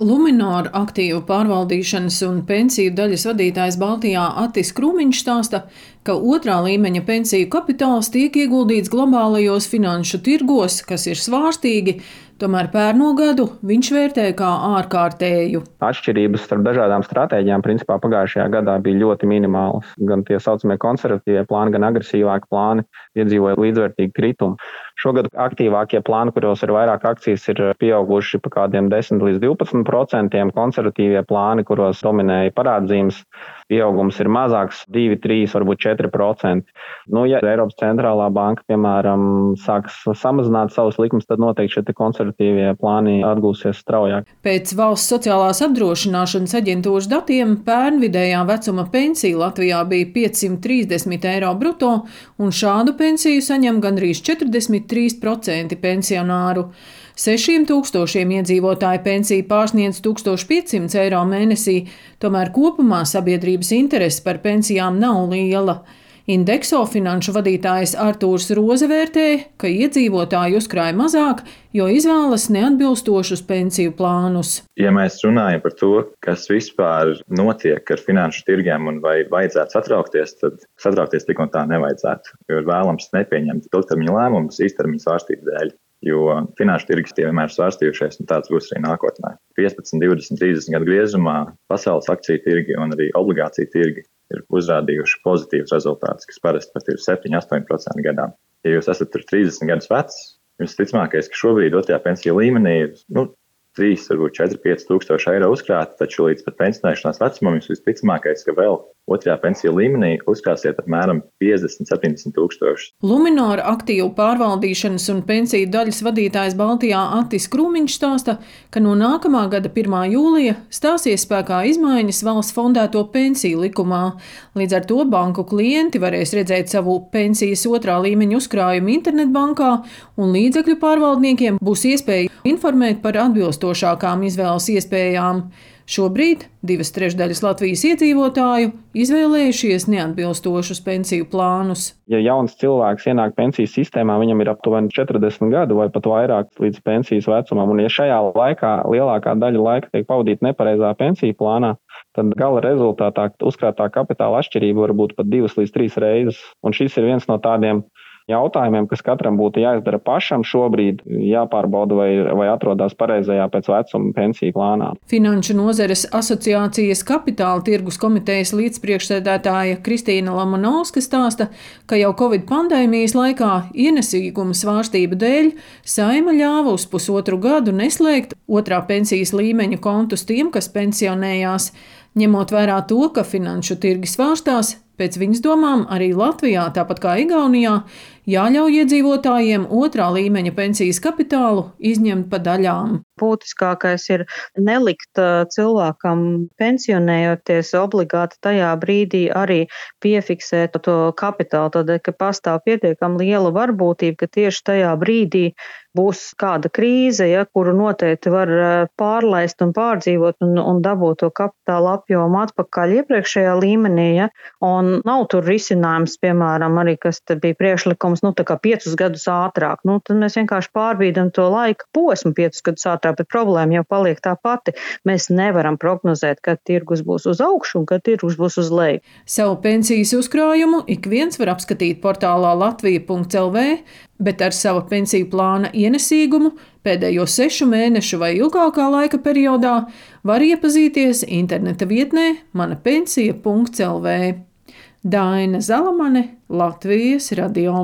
Luminor aktīvu pārvaldīšanas un pensiju daļas vadītājs Baltijā Attis Krūmiņš stāsta, ka otrā līmeņa pensiju kapitāls tiek ieguldīts globālajos finanšu tirgos, kas ir svārstīgi, tomēr pērno gadu viņš vērtē kā ārkārtēju. Atšķirības starp dažādām stratēģijām principā pagājušajā gadā bija ļoti minimālas. Gan tie saucamie konservatīvie plāni, gan agresīvāki plāni piedzīvoja līdzvērtīgu kritumu. Šogad aktīvākie plāni, kuros ir vairāk akcijas, ir pieauguši pa kādiem 10 līdz 12%. Konservatīvie plāni, kuros dominēja parādzīmes, pieaugums ir mazāks, 2, 3, varbūt 4%. Ja Eiropas centrālā banka, piemēram, sāks samazināt savus likumus, tad noteikti šie konservatīvie plāni atgūsies straujāk. Pēc Valsts sociālās apdrošināšanas aģentūras datiem pērn vidējā vecuma pensija Latvijā bija 530 eiro bruto, un šādu pensiju saņem gandrīz 43% pensionāru. 6000 iedzīvotāju pensija pārsniedz 1500 eiro mēnesī, tomēr kopumā sabiedrības interese par pensijām nav liela. Indekso finanšu vadītājs Artūrs Roze vērtē, ka iedzīvotāji uzkrāja mazāk, jo izvēlas neatbilstošus pensiju plānus. Ja mēs runājam par to, kas vispār notiek ar finanšu tirgiem un vai vajadzētu satraukties, tad satraukties tik un tā nevajadzētu, jo ir vēlams nepieņemt ilgtermiņa lēmumus īstermiņa svārstību dēļ. Jo finanšu tirgus tie vienmēr svārstījušies, un tāds būs arī nākotnē. 15, 20, 30 gadu griezumā pasaules akciju tirgi un arī obligāciju tirgi ir uzrādījuši pozitīvus rezultātus, kas parasti pat ir 7–8% gadā. Ja jūs esat 30 gadus vecs, jums ticamākais, ka šobrīd otrajā pensiju līmenī ir 3, varbūt 4–5 tūkstoši eiro uzkrāti, taču līdz pat pensionēšanās vecumam jums visticamākais, ka vēl otrajā pensiju līmenī uzkrāsiet apmēram 50–70 tūkstoši. Luminor aktīvu pārvaldīšanas un pensiju daļas vadītājs Baltijā Attis Krūmiņš stāsta, ka no nākamā gada 1. jūlija stāsies spēkā izmaiņas valsts fondēto pensiju likumā. Līdz ar to banku klienti varēs redzēt savu pensijas otrā līmeņa uzkrājumu internetbankā, un līdzekļu pārvaldniekiem būs iespēja informēt par atbilstošākām izvēles iespējām. Šobrīd 2/3 Latvijas iedzīvotāju izvēlējušies neatbilstošus pensiju plānus. Ja jauns cilvēks ienāk pensijas sistēmā, viņam ir aptuveni 40 gadu vai pat vairāk līdz pensijas vecumam, un ja šajā laikā lielākā daļa laika tiek pavadīta nepareizā pensiju plānā, tad gala rezultātā uzkrātā kapitāla atšķirība var būt pat 2 līdz 3 reizes. Un šis ir viens no tādiem jautājumiem, kas katram būtu jāizdara pašam šobrīd, jāpārbauda vai atrodas pareizajā pēc vecuma pensiju plānā. Finanšu nozares asociācijas kapitāla tirgus komitejas līdzpriekšsēdētāja Kristīna Lamanovska stāsta, ka jau Covid pandēmijas laikā ienesīguma svārstību dēļ Saeima ļāva uz pusotru gadu neslēgt otrā pensijas līmeņa kontus tiem, kas pensionējās. Ņemot vērā to, ka finanšu tirgi svārstās, pēc viņas domām arī Latvijā, tāpat kā Igaunijā, jāļauj iedzīvotājiem otrā līmeņa pensijas kapitālu izņemt pa daļām. Būtiskākais ir nelikt cilvēkam pensionējoties obligāti tajā brīdī arī piefiksēt to kapitālu, tādēļ, ka pastāv pietiekami liela varbūtība, ka tieši tajā brīdī būs kāda krīze, kuru noteikti var pārlaist un pārdzīvot un dabūt to kapitāla apjomu atpakaļ iepriekšējā līmenī. Un nav tur risinājums, piemēram, arī, kas te bija priekšlikums, tā kā 5 gadus ātrāk. Tad mēs vienkārši pārbīdam to laika posmu 5 gadus ātrāk, bet problēma jau paliek tā pati. Mēs nevaram prognozēt, kad tirgus būs uz augšu un kad tirgus būs uz leju. Savu pensijas uzkrājumu ik viens var apskatīt portālā latvija.lv, bet ar sava pensiju plāna ienesīgumu pēdējo 6 mēnešu vai ilgākā laika periodā var iepazīties interneta vietnē manapensija.lv. Daina Zalamane, Latvijas radio.